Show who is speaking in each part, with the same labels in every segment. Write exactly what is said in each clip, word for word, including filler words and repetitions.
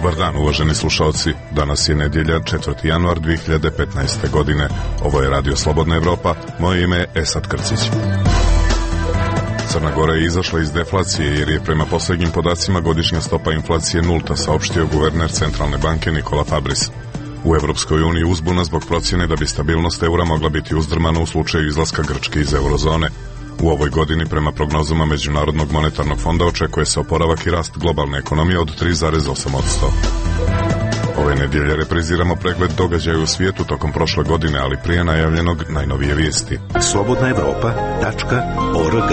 Speaker 1: Dobar dan, uvaženi slušalci. Danas je nedjelja, četvrti januar dvije hiljade petnaeste. godine. Ovo je Radio Slobodna Evropa. Moje ime je Esad Krcić. Crna Gora je izašla iz deflacije jer je prema posljednjim podacima godišnja stopa inflacije nulta, saopštio guverner Centralne banke Nikola Fabris. U Evropskoj uniji uzbuna zbog procjene da bi stabilnost eura mogla biti uzdrmana u slučaju izlaska Grčke iz eurozone. U ovoj godini, prema prognozama Međunarodnog monetarnog fonda, očekuje se oporavak i rast globalne ekonomije od tri zarez osam posto. Ove nedjelje repriziramo pregled događaja u svijetu tokom prošle godine, ali prije najavljenog najnovije vijesti.
Speaker 2: slobodna evropa tačka org.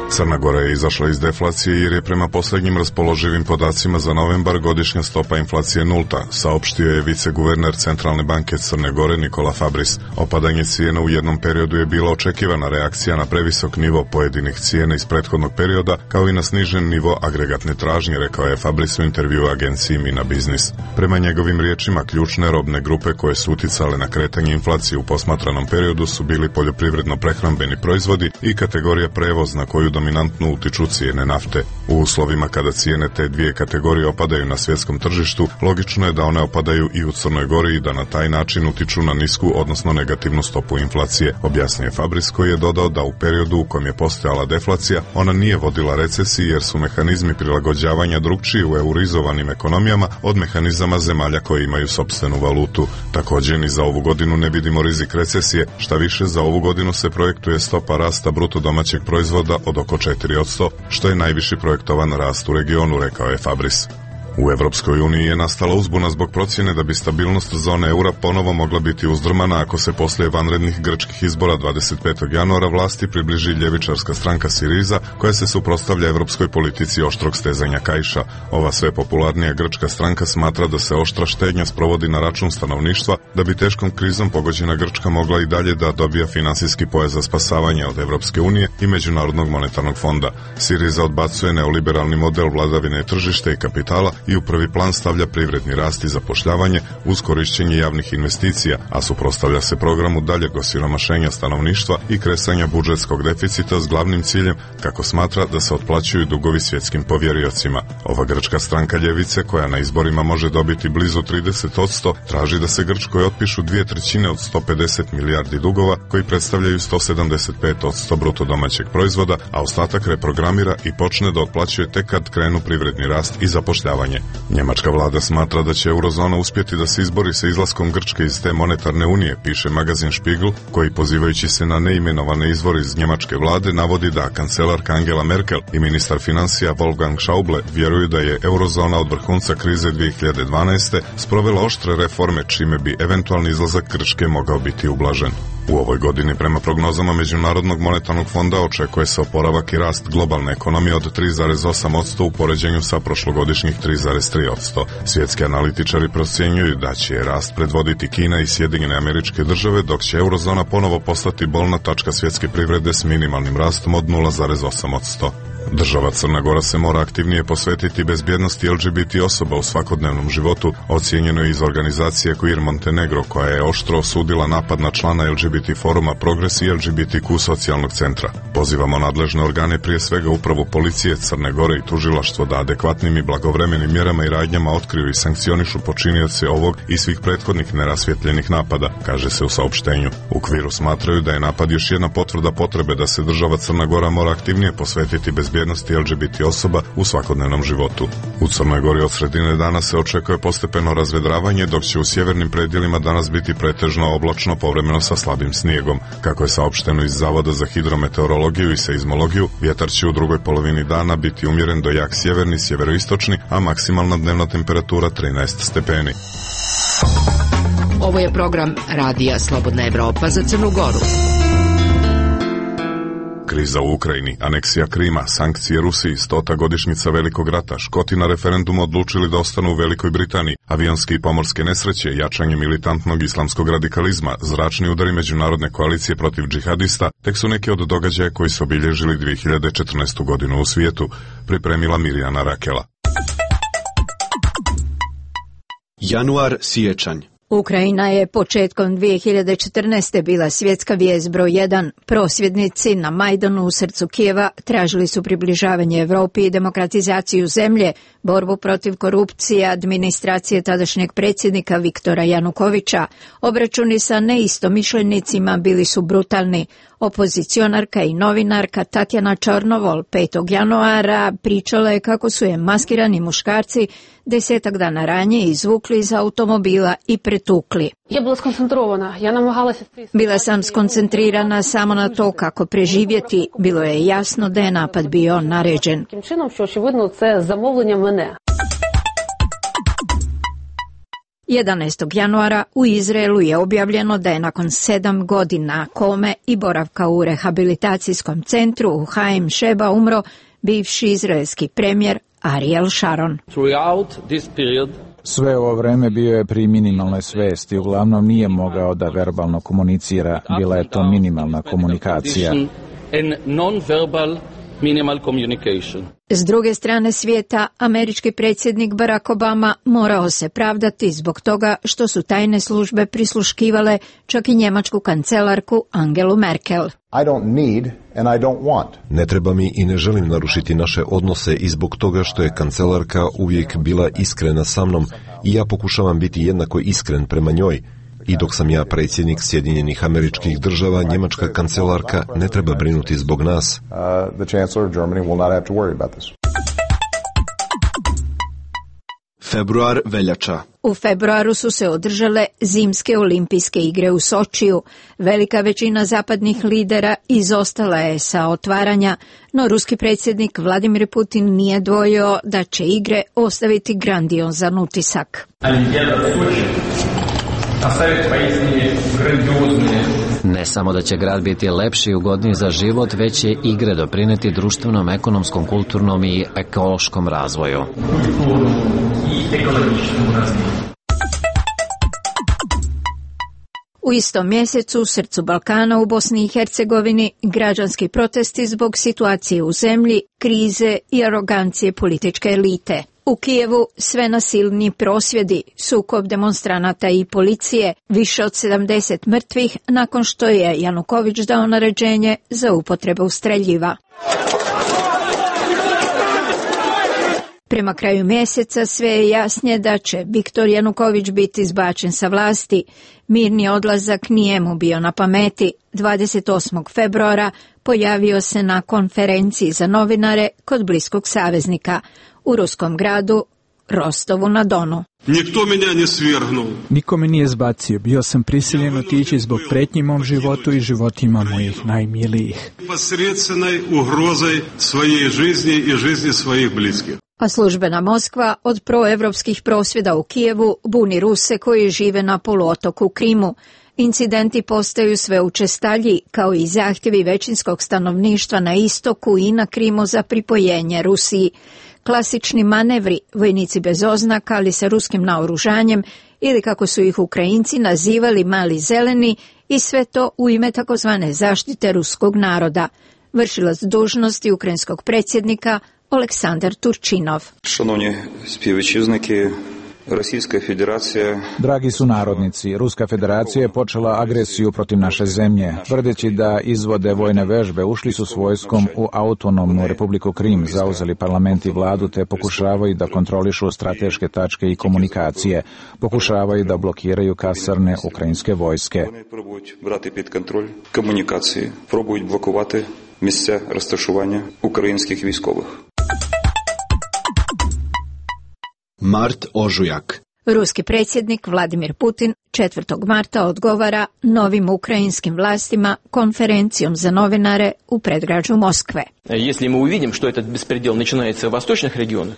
Speaker 1: Crna Gora je izašla iz deflacije jer je prema posljednjim raspoloživim podacima za novembar godišnja stopa inflacije nulta, saopštio je viceguverner Centralne banke Crne Gore Nikola Fabris. Opadanje cijena u jednom periodu je bila očekivana reakcija na previsok nivo pojedinih cijena iz prethodnog perioda, kao i na snižen nivo agregatne tražnje, rekao je Fabris u intervjuu agenciji Mina Biznis. Prema njegovim riječima, ključne robne grupe koje su uticale na kretanje inflacije u posmatranom periodu su bili poljoprivredno-prehrambeni proizvodi i kategorija prevoz, na koju dominantno utiču cijene nafte. U uslovima kada cijene te dvije kategorije opadaju na svjetskom tržištu, logično je da one opadaju i u Crnoj Gori i da na taj način utiču na nisku, odnosno negativnu stopu inflacije, objasnio je Fabris, koji je dodao da u periodu u kojem je postojala deflacija, ona nije vodila recesiji jer su mehanizmi prilagođavanja drukčiji u eurizovanim ekonomijama od mehanizama zemalja koje imaju sopstvenu valutu. Također ni za ovu godinu ne vidimo rizik recesije, šta više za ovu godinu se projektuje stopa rasta bruto domaćeg proizvoda od oko četiri posto, što je najviši projektovan rast u regionu, rekao je Fabris. U Evropskoj uniji je nastala uzbuna zbog procjene da bi stabilnost zone eura ponovo mogla biti uzdrmana ako se poslije vanrednih grčkih izbora dvadeset petog januara vlasti približi ljevičarska stranka Siriza, koja se suprotstavlja evropskoj politici oštrog stezanja kaiša. Ova sve popularnija grčka stranka smatra da se oštra štednja sprovodi na račun stanovništva, da bi teškom krizom pogođena Grčka mogla i dalje da dobija finansijski pojas za spasavanje od Evropske unije i Međunarodnog monetarnog fonda. Siriza odbacuje neoliberalni model vladavine tržišta i kapitala i u prvi plan stavlja privredni rast i zapošljavanje uz korišćenje javnih investicija, a suprotstavlja se programu daljeg osiromašenja stanovništva i kresanja budžetskog deficita s glavnim ciljem, kako smatra, da se otplaćuju dugovi svjetskim povjeriocima. Ova grčka stranka ljevice, koja na izborima može dobiti blizu trideset posto, traži da se Grčkoj otpišu dvije trećine od sto pedeset milijardi dugova, koji predstavljaju sto sedamdeset pet posto bruto domaćeg proizvoda, a ostatak reprogramira i počne da otplaćuje tek kad krenu privredni rast i zapošljavanje. Njemačka vlada smatra da će eurozona uspjeti da se izbori sa izlaskom Grčke iz te monetarne unije, piše magazin Spiegel, koji, pozivajući se na neimenovane izvore iz njemačke vlade, navodi da kancelarka Angela Merkel i ministar financija Wolfgang Schauble vjeruju da je eurozona od vrhunca krize dvije hiljade dvanaeste. sprovela oštre reforme, čime bi eventualni izlazak Grčke mogao biti ublažen. U ovoj godini, prema prognozama Međunarodnog monetarnog fonda, očekuje se oporavak i rast globalne ekonomije od tri zarez osam posto u poređenju sa prošlogodišnjih tri zarez tri posto. Svjetski analitičari procjenjuju da će rast predvoditi Kina i Sjedinjene Američke Države, dok će eurozona ponovo postati bolna tačka svjetske privrede s minimalnim rastom od nula zarez osam posto. Država Crna Gora se mora aktivnije posvetiti bezbjednosti L G B T osoba u svakodnevnom životu, ocijenjeno je iz organizacije Queer Montenegro, koja je oštro osudila napad na člana L G B T foruma Progres i L G B T Q socijalnog centra. Pozivamo nadležne organe, prije svega upravu policije Crne Gore i tužilaštvo, da adekvatnim i blagovremenim mjerama i radnjama otkriju i sankcionišu počinioce ovog i svih prethodnih nerasvjetljenih napada, kaže se u saopštenju. U Queeru smatraju da je napad još jedna potvrda potrebe da se država Crna Gora mora aktivnije posvetiti bezbjednosti L G B T osoba u svakodnevnom životu. U Crnoj Gori od sredine dana se očekuje postepeno razvedravanje, dok će u sjevernim predjelima danas biti pretežno oblačno, povremeno sa slabim snijegom. Kako je saopšteno iz Zavoda za hidrometeorologiju i seizmologiju, vjetar će u drugoj polovini dana biti umjeren do jak sjeverni, sjeveroistočni, a maksimalna dnevna temperatura trinaest stepeni.
Speaker 3: Ovo je program Radija Slobodna Evropa za Crnu Goru.
Speaker 1: Kriza u Ukrajini, aneksija Krima, sankcije Rusiji, stota godišnjica Velikog rata, Škoti na referendumu odlučili da ostanu u Velikoj Britaniji, avionske i pomorske nesreće, jačanje militantnog islamskog radikalizma, zračni udari međunarodne koalicije protiv džihadista, tek su neki od događaja koji su obilježili dvije hiljade četrnaestu. godinu u svijetu, pripremila Mirjana Rakela.
Speaker 2: Januar, siječanj.
Speaker 4: Ukrajina je početkom dvije hiljade četrnaeste. bila svjetska vijest broj jedan. Prosvjednici na Majdanu u srcu Kijeva tražili su približavanje Europi i demokratizaciju zemlje, borbu protiv korupcije administracije tadašnjeg predsjednika Viktora Janukovića. Obračuni sa neistomišljenicima bili su brutalni. Opozicionarka i novinarka Tatjana Čornovol petog januara pričala je kako su je maskirani muškarci desetak dana ranije izvukli iz automobila i pretukli. Bila sam skoncentrirana samo na to kako preživjeti. Bilo je jasno da je napad bio naređen. jedanaestog januara u Izraelu je objavljeno da je nakon sedam godina kome i boravka u rehabilitacijskom centru u Haim Sheba umro bivši izraelski premijer Ariel Sharon.
Speaker 5: Sve ovo vreme bio je pri minimalnoj svesti, uglavnom nije mogao da verbalno komunicira, bila je to minimalna komunikacija.
Speaker 4: S druge strane svijeta, američki predsjednik Barack Obama morao se pravdati zbog toga što su tajne službe prisluškivale čak i njemačku kancelarku Angelu Merkel.
Speaker 6: I don't need and I don't want.
Speaker 7: Ne treba mi i ne želim narušiti naše odnose i zbog toga što je kancelarka uvijek bila iskrena sa mnom i ja pokušavam biti jednako iskren prema njoj. I dok sam ja predsjednik Sjedinjenih Američkih Država, njemačka kancelarka ne treba brinuti zbog nas.
Speaker 6: Uh, the Chancellor of Germany will not have to worry about this.
Speaker 8: Februar, veljača.
Speaker 4: U februaru su se održale zimske olimpijske igre u Sočiju. Velika većina zapadnih lidera izostala je sa otvaranja, no ruski predsjednik Vladimir Putin nije dvojio da će igre ostaviti grandiozan utisak.
Speaker 9: Ne samo da će grad biti lepši i ugodniji za život, već će igre doprineti društvenom, ekonomskom, kulturnom i ekološkom razvoju.
Speaker 4: U istom mjesecu u srcu Balkana u Bosni i Hercegovini građanski protesti zbog situacije u zemlji, krize i arogancije političke elite. U Kijevu sve nasilniji prosvjedi, sukob demonstranata i policije, više od sedamdeset mrtvih nakon što je Januković dao naređenje za upotrebu streljiva. Prema kraju mjeseca sve je jasnije da će Viktor Januković biti izbačen sa vlasti. Mirni odlazak nije mu bio na pameti. dvadeset osmog februara pojavio se na konferenciji za novinare kod bliskog saveznika u ruskom gradu Rostovu na Donu.
Speaker 10: Nikto menja ne svrgnuo.
Speaker 11: Niko me nije zbacio. Bio sam prisiljen otići zbog pretnji mom životu i životima mojih najmilijih.
Speaker 10: Посредственной угрозой своей жизни и жизни своих близких.
Speaker 4: A službena Moskva od proevropskih prosvjeda u Kijevu buni Ruse koji žive na poluotoku Krimu. Incidenti postaju sve učestalji, kao i zahtjevi većinskog stanovništva na istoku i na Krimu za pripojenje Rusiji. Klasični manevri, vojnici bez oznaka, ali sa ruskim naoružanjem, ili kako su ih Ukrajinci nazivali mali zeleni, i sve to u ime takozvane zaštite ruskog naroda. Vršilac dužnosti ukrajinskog predsjednika Oleksandar Turčinov.
Speaker 12: Šanovni spjevečizniki, Rusijska federacija...
Speaker 5: Dragi sunarodnici, Ruska federacija je počela agresiju protiv naše zemlje. Tvrdeći da izvode vojne vežbe, ušli su s vojskom u autonomnu Republiku Krim, zauzeli parlament i vladu te pokušavaju da kontrolišu strateške tačke i komunikacije. Pokušavaju da blokiraju kasarne ukrajinske vojske.
Speaker 12: Вони пробують брати під контроль комунікації, пробують блокувати місця розташування українських військових.
Speaker 8: Mart, ožujak.
Speaker 4: Ruski predsjednik Vladimir Putin četvrtog marta odgovara novim ukrajinskim vlastima konferencijom za novinare u predgrađu Moskve.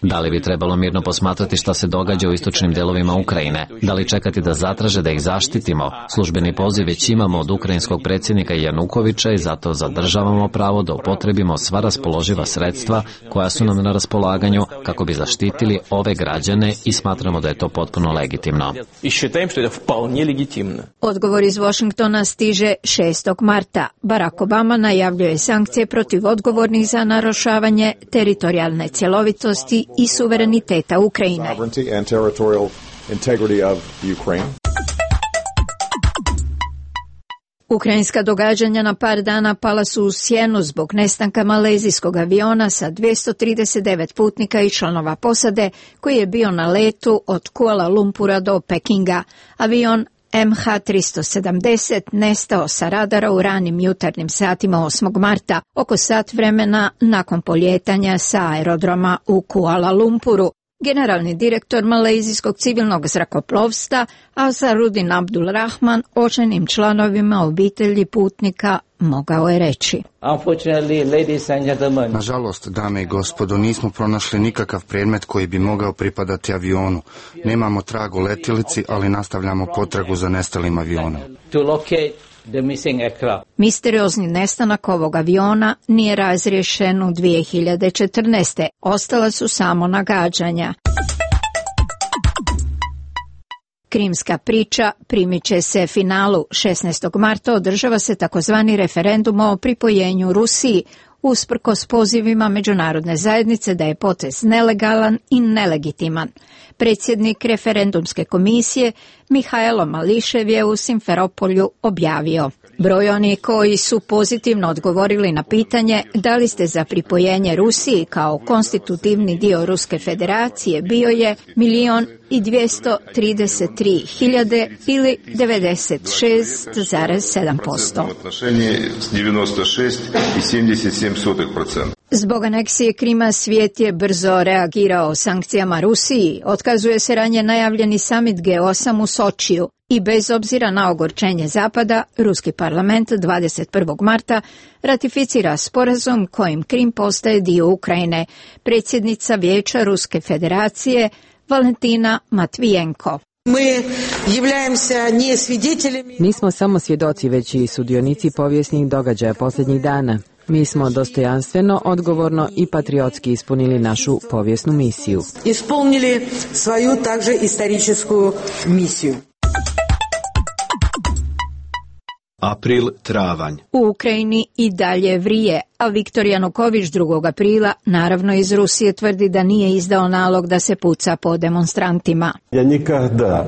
Speaker 9: Da li bi trebalo mirno posmatrati šta se događa u istočnim delovima Ukrajine? Da li čekati da zatraže da ih zaštitimo? Službeni poziv već imamo od ukrajinskog predsjednika Janukovića i zato zadržavamo pravo da upotrebimo sva raspoloživa sredstva koja su nam na raspolaganju kako bi zaštitili ove građane i smatramo da je to potpuno legitimno.
Speaker 4: Odgovor iz Washingtona stiže šestog marta. Barack Obama najavljuje sankcije protiv odgovornih za narušavanje teritorijalne cjelovitosti i suvereniteta Ukrajine. Ukrajinska događanja na par dana pala su u sjenu zbog nestanka malezijskog aviona sa dvjesto trideset devet putnika i članova posade koji je bio na letu od Kuala Lumpura do Pekinga. Avion M H tristo sedamdeset nestao sa radara u ranim jutarnjim satima osmog marta, oko sat vremena nakon poljetanja sa aerodroma u Kuala Lumpuru. Generalni direktor malezijskog civilnog zrakoplovstva Azarudin Abdul Rahman očajnim članovima obitelji putnika mogao je reći:
Speaker 13: Nažalost, dame i gospodo, nismo pronašli nikakav predmet koji bi mogao pripadati avionu. Nemamo trag u letjelici, ali nastavljamo potragu za nestalim avionom.
Speaker 4: Misteriozni nestanak ovog aviona nije razriješen u dvije hiljade četrnaeste. Ostala su samo nagađanja. Krimska priča primiče se finalu. šesnaestog marta održava se takozvani referendum o pripojenju Rusiji, usprkos pozivima međunarodne zajednice da je potez nelegalan i nelegitiman. Predsjednik referendumske komisije Mihajlo Mališev je u Simferopolju objavio: broj onih koji su pozitivno odgovorili na pitanje da li ste za pripojenje Rusiji kao konstitutivni dio Ruske federacije bio je milion i dvjesto trideset tri hiljade ili devedeset šest zarez sedam posto. Zbog aneksije Krima svijet je brzo reagirao sankcijama Rusiji. Otkazuje se ranije najavljeni samit G osam u Sočiju i bez obzira na ogorčenje Zapada, Ruski parlament dvadeset prvog marta ratificira sporazum kojim Krim postaje dio Ukrajine. Predsjednica Vijeća Ruske federacije Valentina Matvijenko:
Speaker 14: Nismo samo svjedoci, već i sudionici povijesnih događaja posljednjih dana. Mi smo dostojanstveno, odgovorno i patriotski ispunili našu povijesnu misiju.
Speaker 15: Ispunili svoju takže istoričku misiju.
Speaker 8: April, travanj.
Speaker 4: U Ukrajini i dalje vrije, a Viktor Januković drugog aprila naravno iz Rusije tvrdi da nije izdao nalog da se puca po demonstrantima.
Speaker 16: Ja nikada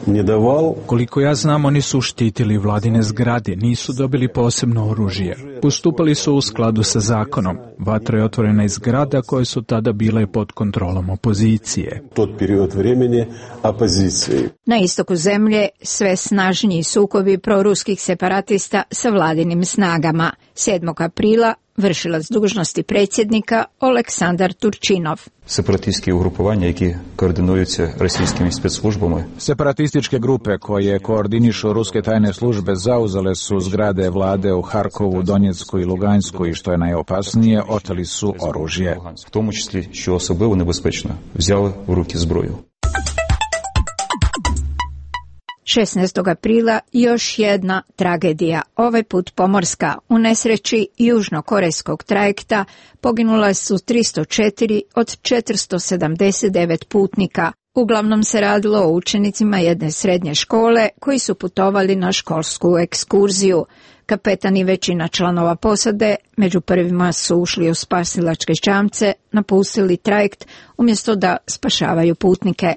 Speaker 16: ne daval.
Speaker 11: Koliko ja znam, oni su štitili vladine zgrade, nisu dobili posebno oružje. Postupali su u skladu sa zakonom. Vatra je otvorena iz zgrada koje su tada bile pod kontrolom opozicije.
Speaker 16: Tod period vremeni opozicije.
Speaker 4: Na istoku zemlje sve snažniji sukobi proruskih separatista sa vladinim snagama. sedmog aprila vršilac dužnosti predsjednika Oleksandar Turčinov.
Speaker 12: Separatistські угрупування, які координуються російськими спецслужбами.
Speaker 5: Separatističke grupe koje koordinišu ruske tajne službe zauzele su zgrade vlade u Harkovu, Donjecku i Lugansku i što je najopasnije, oteli su oružje.
Speaker 12: В тому числі, що особливо небезпечно, взяли в руки зброю.
Speaker 4: šesnaestog aprila još jedna tragedija, ovaj put pomorska. U nesreći južnokorejskog trajekta poginula su tristo četiri od četiristo sedamdeset devet putnika. Uglavnom se radilo o učenicima jedne srednje škole koji su putovali na školsku ekskurziju. Kapetan i većina članova posade među prvima su ušli u spasilačke čamce, napustili trajekt umjesto da spašavaju putnike.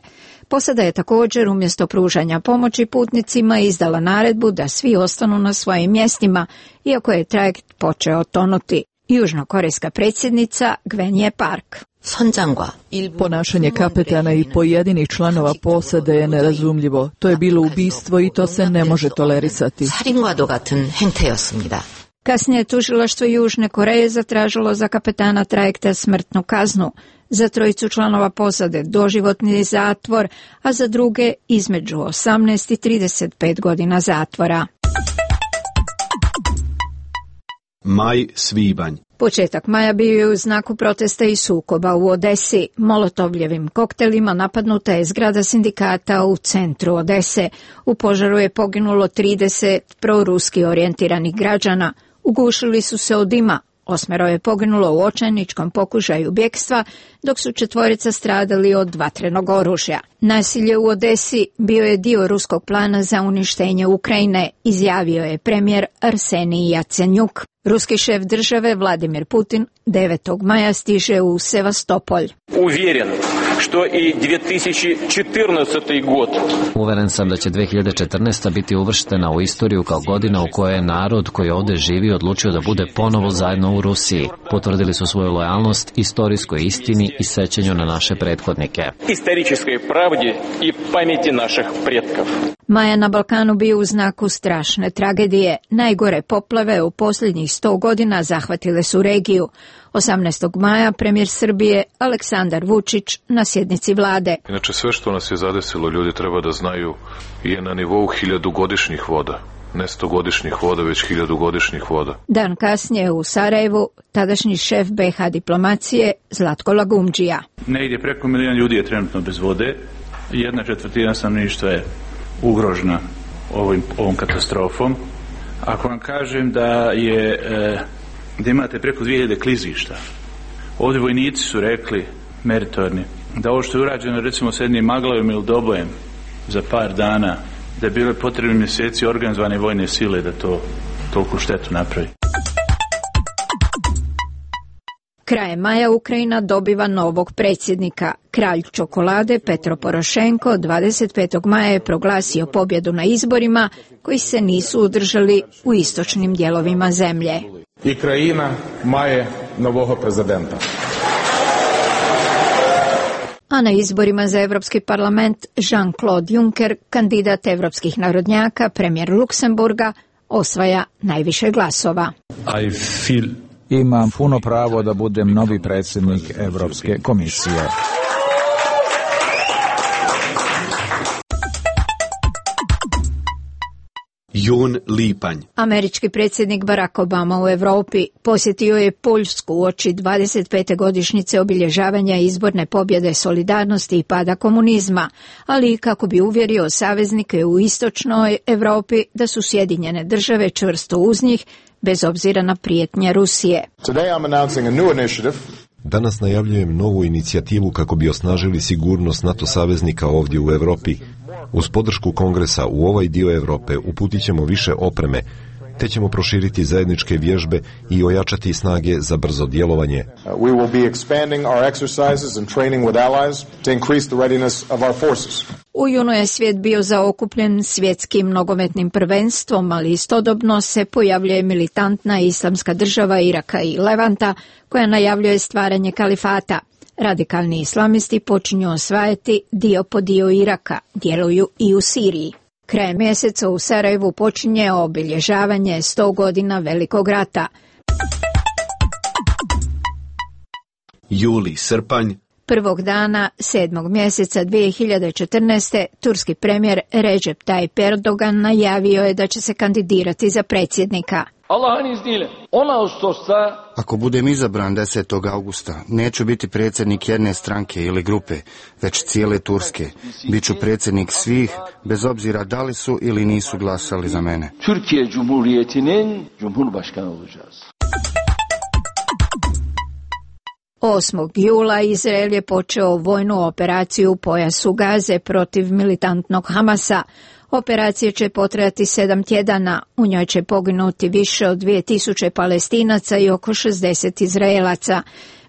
Speaker 4: Posada je također umjesto pružanja pomoći putnicima izdala naredbu da svi ostanu na svojim mjestima, iako je trajekt počeo tonuti. Južnokorejska predsjednica Gwenje Park:
Speaker 17: Ponašanje kapetana i pojedinih članova posade je nerazumljivo. To je bilo ubistvo i to se ne može tolerisati.
Speaker 4: Kasnije tužilaštvo Južne Koreje zatražilo za kapetana trajekta smrtnu kaznu. Za trojicu članova posade doživotni zatvor, a za druge između osamnaest i trideset pet godina zatvora.
Speaker 8: Maj, svibanj.
Speaker 4: Početak maja bio je u znaku protesta i sukoba u Odesi. Molotovljevim koktelima napadnuta je zgrada sindikata u centru Odese. U požaru je poginulo trideset proruski orijentiranih građana. Ugušili su se od dima. Osmero je poginulo u očajničkom pokušaju bjegstva, dok su četvorica stradali od vatrenog oružja. Nasilje u Odesi bio je dio ruskog plana za uništenje Ukrajine, izjavio je premijer Arsenij Jacenjuk. Ruski šef države Vladimir Putin devetog maja stiže u Sevastopolj.
Speaker 18: Uvjeren što i dvije tisuće četrnaesti. god.
Speaker 9: Uveren sam da će dve hiljade četrnaesta. biti uvrštena u istoriju kao godina u kojoj je narod koji ovdje živi odlučio da bude ponovo zajedno u Rusiji. Potvrdili su svoju lojalnost istorijskoj istini i sećanju na naše prethodnike.
Speaker 18: Istorijskoj pravdi i pameti naših pretkov.
Speaker 4: Maja na Balkanu bio u znaku strašne tragedije. Najgore poplave u posljednjih sto godina zahvatile su regiju. osamnaestog maja premijer Srbije Aleksandar Vučić na sjednici vlade.
Speaker 19: Inače, sve što nas je zadesilo, ljudi treba da znaju, je na nivou hiljadugodišnjih voda. Ne stogodišnjih voda, već hiljadugodišnjih voda.
Speaker 4: Dan kasnije u Sarajevu tadašnji šef be ha diplomacije Zlatko Lagumdžija.
Speaker 20: Negdje preko milijon ljudi je trenutno bez vode. Jedna četvrtina stanovništva je ugrožena ovim, ovom katastrofom. Ako vam kažem da je e, da imate preko dvije hiljade klizišta, ovdje vojnici su rekli, meritorni, da ovo što je urađeno recimo s jednim Maglavim ili Dobojem za par dana, da je bilo potrebni mjeseci organizovane vojne sile da to toliko štetu napravi.
Speaker 4: Krajem maja Ukrajina dobiva novog predsjednika. Kralj čokolade Petro Porošenko dvadeset petog maja je proglasio pobjedu na izborima koji se nisu održali u istočnim dijelovima zemlje.
Speaker 21: I krajina maje novog prezidenta.
Speaker 4: A na izborima za Europski parlament Jean-Claude Juncker, kandidat evropskih narodnjaka, premijer Luksemburga, osvaja najviše glasova.
Speaker 5: I feel Imam puno pravo da budem novi predsjednik Europske komisije.
Speaker 8: Jun lipanj.
Speaker 4: Američki predsjednik Barack Obama u Europi posjetio je Poljsku uoči dvadeset pete godišnjice obilježavanja izborne pobjede solidarnosti i pada komunizma, ali i kako bi uvjerio saveznike u istočnoj Europi da su Sjedinjene države čvrsto uz njih, bez obzira na prijetnje Rusije.
Speaker 7: Danas najavljujem novu inicijativu kako bi osnažili sigurnost NATO saveznika ovdje u Europi. Uz podršku Kongresa u ovaj dio Europe uputit ćemo više opreme, te ćemo proširiti zajedničke vježbe i ojačati snage za brzo djelovanje.
Speaker 6: We will be expanding our exercises and training with allies to increase the readiness of our forces.
Speaker 4: U junu je svijet bio zaokupljen svjetskim nogometnim prvenstvom, ali istodobno se pojavljuje militantna islamska država Iraka i Levanta koja najavljuje stvaranje kalifata. Radikalni islamisti počinju osvajati dio po dio Iraka, djeluju i u Siriji. Krajem mjeseca u Sarajevu počinje obilježavanje sto godina Velikog rata.
Speaker 8: Juli, srpanj.
Speaker 4: Prvog dana sedmog mjeseca dvije hiljade četrnaeste. turski premijer Recep Tayyip Erdogan najavio je da će se kandidirati za predsjednika.
Speaker 22: Allah'ın izniyle on Ağustos'ta
Speaker 13: Ako budem izabran desetog augusta, neću biti predsjednik jedne stranke ili grupe, već cijele Turske. Biću predsjednik svih, bez obzira da li su ili nisu glasali za mene.
Speaker 22: Türkiye Cumhuriyeti'nin Cumhurbaşkanı olacağız.
Speaker 4: osmog jula Izrael je počeo vojnu operaciju u pojasu Gaze protiv militantnog Hamasa. Operacija će potrajati sedam tjedana, u njoj će poginuti više od dvije tisuće Palestinaca i oko šezdeset Izraelaca.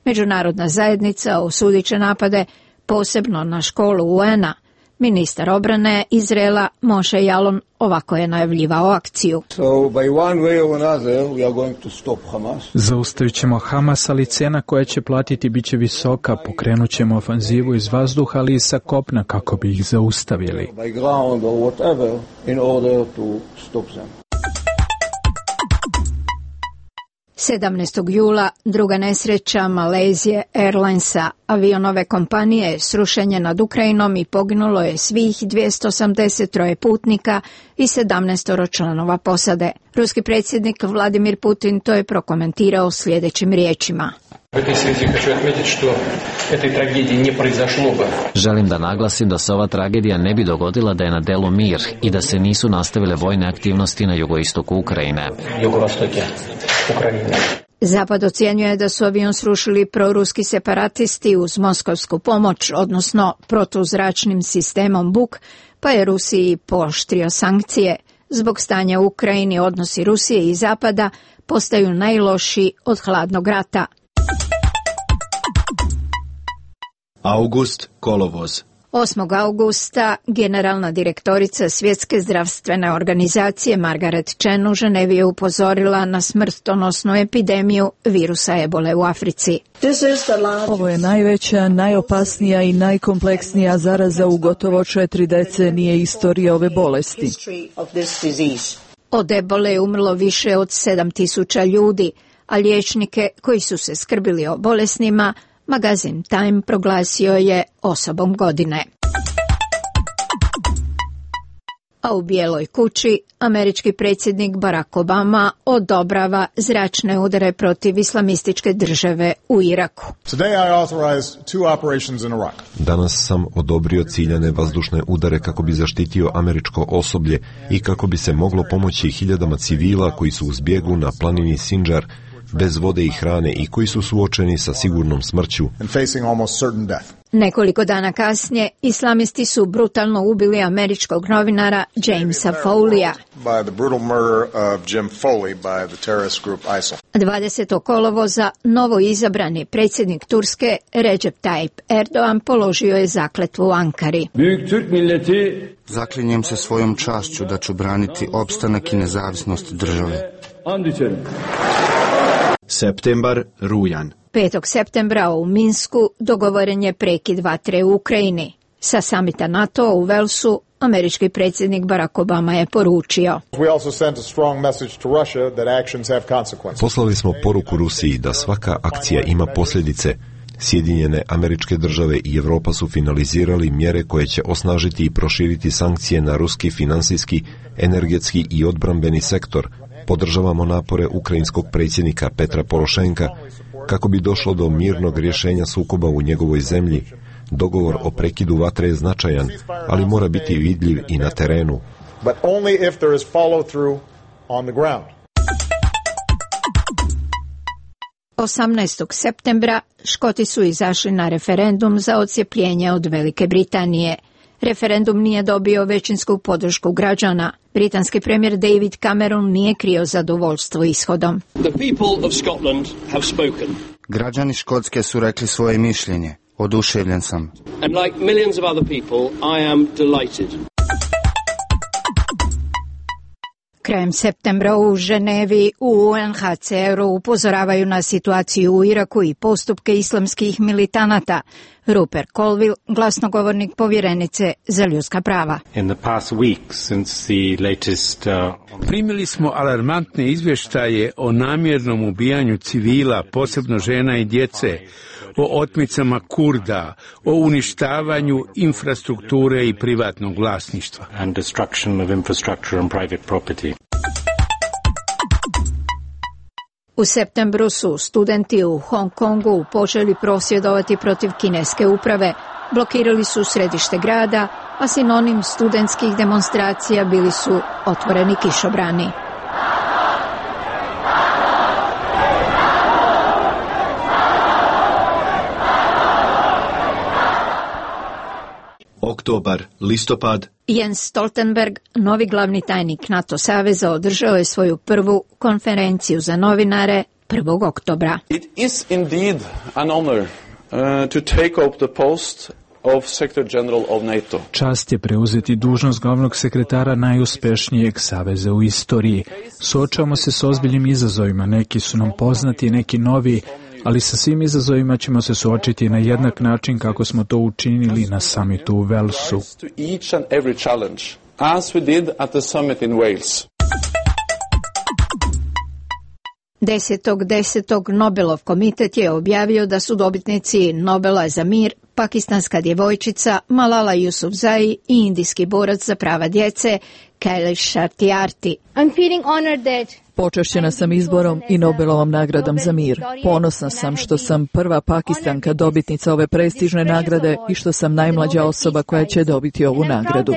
Speaker 4: Međunarodna zajednica osudit će napade posebno na školu U N-a. Ministar obrane Izraela Moshe Yaalon ovako je najavljivao akciju.
Speaker 11: Zaustavit ćemo Hamas, ali cijena koja će platiti bit će visoka. Pokrenut ćemo ofanzivu iz vazduha, ali i sa kopna kako bi ih zaustavili.
Speaker 4: sedamnaestog jula druga nesreća Malaysia Airlinesa, avionove kompanije, srušenje nad Ukrajinom i poginulo je svih dvjesto osamdeset tri putnika i sedamnaest članova posade. Ruski predsjednik Vladimir Putin to je prokomentirao sljedećim riječima.
Speaker 9: Želim da naglasim da se ova tragedija ne bi dogodila da je na delu mir i da se nisu nastavile vojne aktivnosti na jugoistoku Ukrajine.
Speaker 4: Zapad ocjenjuje da su avion srušili proruski separatisti uz moskovsku pomoć, odnosno protuzračnim sistemom Buk, pa je Rusiji pooštrio sankcije. Zbog stanja u Ukrajini odnosi Rusije i Zapada postaju najlošiji od hladnog rata.
Speaker 8: August, kolovoz.
Speaker 4: osmog augusta generalna direktorica Svjetske zdravstvene organizacije Margaret Chan u Ženevi je upozorila na smrtonosnu epidemiju virusa ebole u Africi.
Speaker 17: Ovo je najveća, najopasnija i najkompleksnija zaraza u gotovo četiri decenije istorije ove bolesti.
Speaker 4: Od ebole je umrlo više od sedam tisuća ljudi, a liječnike koji su se skrbili o bolesnima magazin Time proglasio je osobom godine. A u Bijeloj kući američki predsjednik Barack Obama odobrava zračne udare protiv islamističke države u Iraku.
Speaker 7: Danas sam odobrio ciljane vazdušne udare kako bi zaštitio američko osoblje i kako bi se moglo pomoći hiljadama civila koji su u zbjegu na planini Sinjar bez vode i hrane i koji su suočeni sa sigurnom smrću.
Speaker 4: Nekoliko dana kasnije islamisti su brutalno ubili američkog novinara Jamesa Foleyja. dvadesetog kolovoza novo izabrani predsjednik Turske Recep Tayyip Erdogan položio je zakletvu u Ankari.
Speaker 13: Zaklinjem se svojom čašću da ću braniti opstanak i nezavisnost države.
Speaker 8: Septembar, rujan.
Speaker 4: petog septembra u Minsku dogovoren je prekid vatre u Ukrajini. Sa samita NATO u Velsu američki predsjednik Barack Obama je poručio:
Speaker 7: Poslali smo poruku Rusiji da svaka akcija ima posljedice. Sjedinjene Američke Države i Europa su finalizirali mjere koje će osnažiti i proširiti sankcije na ruski finansijski, energetski i odbrambeni sektor. Podržavamo napore ukrajinskog predsjednika Petra Porošenka kako bi došlo do mirnog rješenja sukoba u njegovoj zemlji. Dogovor o prekidu vatre je značajan, ali mora biti vidljiv i na terenu.
Speaker 4: osamnaestog septembra Škoti su izašli na referendum za odcjepljenje od Velike Britanije. Referendum nije dobio većinsku podršku građana. Britanski premijer David Cameron nije krio zadovoljstvo ishodom.
Speaker 13: Građani Škotske su rekli svoje mišljenje. Oduševljen sam.
Speaker 18: And like millions of other people, I am delighted.
Speaker 4: Krajem septembra u Ženevi u U N H C R-u upozoravaju na situaciju u Iraku i postupke islamskih militanata. Rupert Colville, glasnogovornik povjerenice za ljudska prava.
Speaker 1: Primili smo alarmantne izvještaje o namjernom ubijanju civila, posebno žena i djece, o otmicama Kurda, o uništavanju infrastrukture i privatnog vlasništva.
Speaker 4: U septembru su studenti u Hong Kongu počeli prosvjedovati protiv kineske uprave. Blokirali su središte grada, a sinonim studentskih demonstracija bili su otvoreni kišobrani.
Speaker 8: Oktobar, listopad.
Speaker 4: Jens Stoltenberg, novi glavni tajnik NATO saveza, održao je svoju prvu konferenciju za novinare prvog oktobra.
Speaker 3: It is indeed an honor uh, to take up the post of Secretary General of NATO.
Speaker 11: Čast je preuzeti dužnost glavnog sekretara najuspješnijeg saveza u istoriji. Suočavamo se s ozbiljnim izazovima, neki su nam poznati, neki novi, ali sa svim izazovima ćemo se suočiti na jednak način kako smo to učinili na samitu u Walesu.
Speaker 4: desetog desetog Nobelov komitet je objavio da su dobitnici Nobela za mir pakistanska djevojčica Malala Yousafzai i indijski borac za prava djece Kailash Satyarthi.
Speaker 23: I'm feeling honored that
Speaker 17: Počašćena sam izborom i Nobelovom nagradom za mir. Ponosna sam što sam prva Pakistanka dobitnica ove prestižne nagrade i što sam najmlađa osoba koja će dobiti ovu nagradu.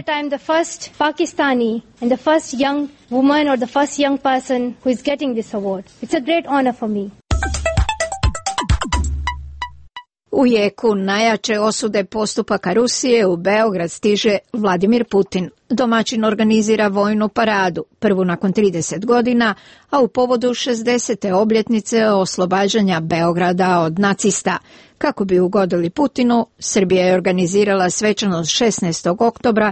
Speaker 4: U jeku najjače osude postupaka Rusije u Beograd stiže Vladimir Putin. Domaćin organizira vojnu paradu, prvu nakon trideset godina, a u povodu šezdesete obljetnice oslobađanja Beograda od nacista. Kako bi ugodili Putinu, Srbija je organizirala svečanost šesnaestog oktobra,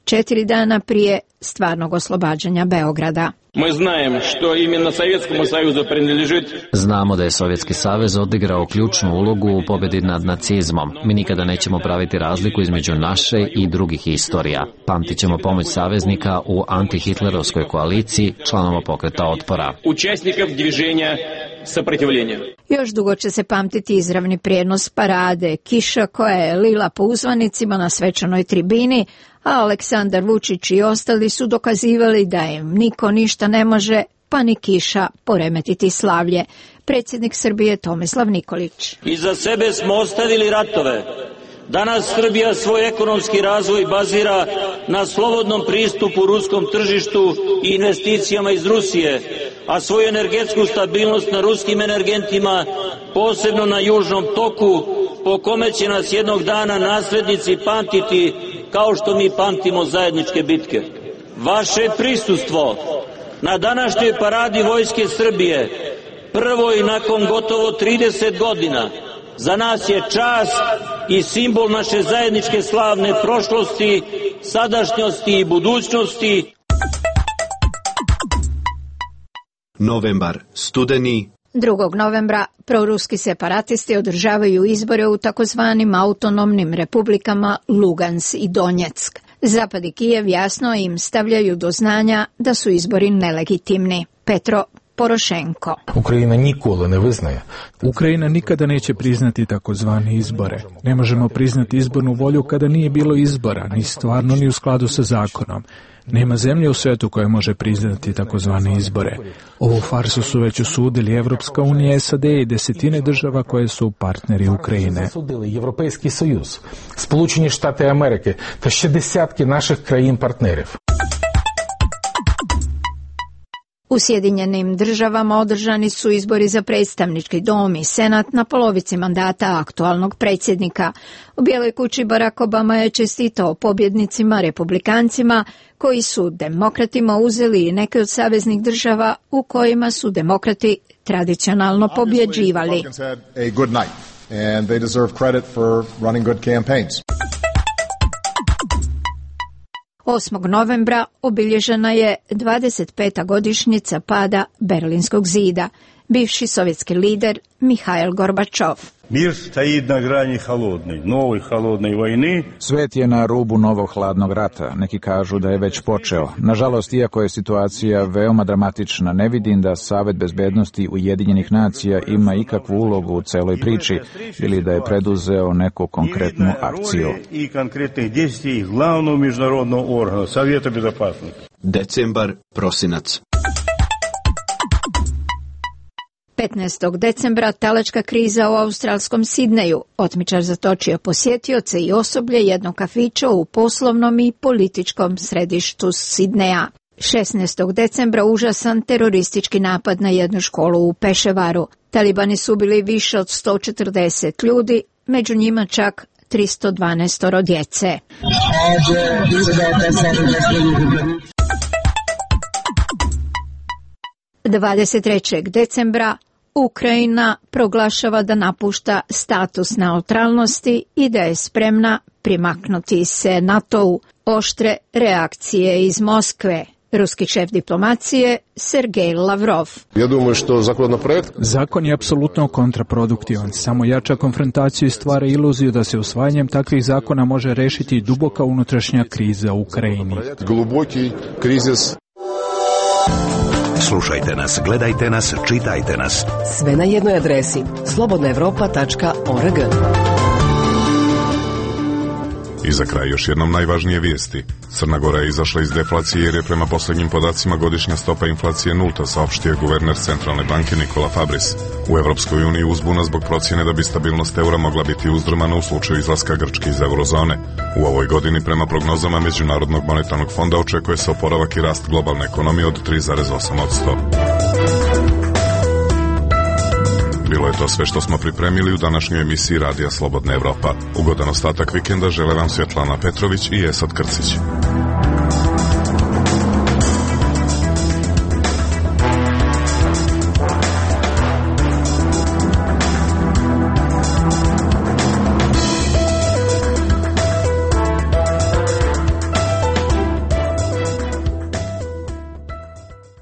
Speaker 4: četiri dana prije stvarnog oslobađanja Beograda.
Speaker 18: Мы знаем, что именно Советскому Союзу принадлежит.
Speaker 9: Znamo da je Sovjetski savez odigrao ključnu ulogu u pobjedi nad nacizmom. Mi nikada nećemo praviti razliku između naše i drugih istorija. Pamtit ćemo pomoć saveznika u antihitlerovskoj koaliciji članova pokreta otpora.
Speaker 18: Участников движения сопротивления.
Speaker 4: Još dugo će se pamtiti izravni prijenos parade, kiša koja je lila po uzvanicima na svečanoj tribini, a Aleksandar Vučić i ostali su dokazivali da im niko ništa ne može, pa ni kiša, poremetiti slavlje. Predsjednik Srbije Tomislav Nikolić.
Speaker 2: Iza sebe smo ostavili ratove. Danas Srbija svoj ekonomski razvoj bazira na slobodnom pristupu ruskom tržištu i investicijama iz Rusije, a svoju energetsku stabilnost na ruskim energentima, posebno na južnom toku, po kome će nas jednog dana naslednici pamtiti kao što mi pamtimo zajedničke bitke. Vaše prisustvo na današnjoj paradi Vojske Srbije, prvoj nakon gotovo trideset godina, za nas je čast i simbol naše zajedničke slavne prošlosti, sadašnjosti i budućnosti.
Speaker 8: Novembar, studeni.
Speaker 4: drugog novembra proruski separatisti održavaju izbore u takozvanim autonomnim republikama Lugans i Donjeck. Zapad i Kijev jasno im stavljaju do znanja da su izbori nelegitimni. Petro Porošenko.
Speaker 10: Ukrajina nikole ne vyznaje.
Speaker 11: Ukrajina nikada neće priznati takozvane izbore. Ne možemo priznati izbornu volju kada nije bilo izbora, ni stvarno ni u skladu sa zakonom. Nema zemlje u svetu koja može priznati takozvane izbore. Ovu farsu su već osudili Evropska unija, S A D i desetine država koje su partneri Ukrajine.
Speaker 10: Європейський Союз, Сполучені Штати Америки та ще десятки наших країн-партнерів.
Speaker 4: U Sjedinjenim državama održani su izbori za predstavnički dom i senat na polovici mandata aktualnog predsjednika. U Bijeloj kući Barack Obama je čestitao pobjednicima republikancima koji su demokratima uzeli neke od saveznih država u kojima su demokrati tradicionalno pobjeđivali. osmog novembra obilježena je dvadeset peta godišnjica pada Berlinskog zida. Bivši sovjetski lider Mihail Gorbačov.
Speaker 23: Mir stoji na grani hladne, nove hladne vojne.
Speaker 5: Svet je na rubu novog hladnog rata. Neki kažu da je već počeo. Nažalost, iako je situacija veoma dramatična, ne vidim da Savet bezbednosti Ujedinjenih nacija ima ikakvu ulogu u celoj priči ili da je preduzeo neku konkretnu akciju.
Speaker 23: I konkretnih dejstvi glavnog međunarodnog organa Savjeta bezopasnosti.
Speaker 8: Decembar, prosinac.
Speaker 4: petnaestog decembra talačka kriza u australskom Sidneju. Otmičar zatočio posjetioce i osoblje jednog kafića u poslovnom i političkom središtu Sidneja. šesnaestog decembra užasan teroristički napad na jednu školu u Peševaru. Talibani su ubili više od sto četrdeset ljudi, među njima čak tristo dvanaest djece. dvadeset trećeg decembra Ukrajina proglašava da napušta status neutralnosti i da je spremna primaknuti se NATO-u. Oštre reakcije iz Moskve. Ruski šef diplomacije Sergej Lavrov.
Speaker 6: Ja думаю, što законопроект...
Speaker 11: Zakon je apsolutno kontraproduktivan. Samo jača konfrontaciju i stvara iluziju da se usvajanjem takvih zakona može rešiti duboka unutrašnja kriza u Ukrajini.
Speaker 6: Globoki krizis.
Speaker 24: Slušajte nas, gledajte nas, čitajte nas.
Speaker 25: Sve na jednoj adresi slobodna evropa tačka org.
Speaker 26: I za kraj još jednom najvažnije vijesti. Crna Gora je izašla iz deflacije jer je prema posljednjim podacima godišnja stopa inflacije nulta, saopštio guverner Centralne banke Nikola Fabris. U Evropskoj uniji uzbuna zbog procjene da bi stabilnost eura mogla biti uzdrmana u slučaju izlaska Grčke iz eurozone. U ovoj godini prema prognozama Međunarodnog monetarnog fonda očekuje se oporavak i rast globalne ekonomije od tri zarez osam posto. Bilo je to sve što smo pripremili u današnjoj emisiji Radija Slobodna Evropa. Ugodan ostatak vikenda žele vam Svjetlana Petrović i Esad Krcić.